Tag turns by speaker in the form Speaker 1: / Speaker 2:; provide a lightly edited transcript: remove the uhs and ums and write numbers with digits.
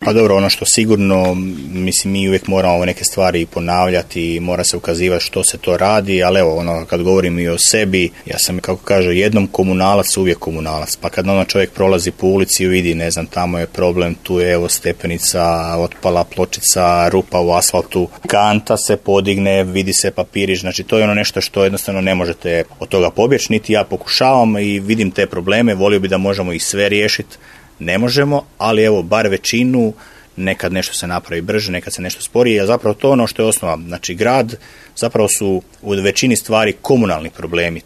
Speaker 1: Pa dobro, ono što sigurno, mislim, mi uvijek moramo neke stvari ponavljati i mora se ukazivati što se to radi, ali evo, ono, kad govorim i o sebi, ja sam, kako kaže, jednom komunalac, uvijek komunalac. Pa kad ono čovjek prolazi po ulici i vidi, ne znam, tamo je problem, tu je evo stepenica, otpala pločica, rupa u asfaltu, kanta se podigne, vidi se papirić, znači to je ono nešto što jednostavno ne možete od toga pobjeći, niti ja pokušavam i vidim te probleme, volio bi da možemo ih sve riješiti. Ne možemo, ali evo, bar većinu, nekad nešto se napravi brže, nekad se nešto sporije, a zapravo to ono što je osnova. Znači, grad zapravo su u većini stvari komunalni problemi.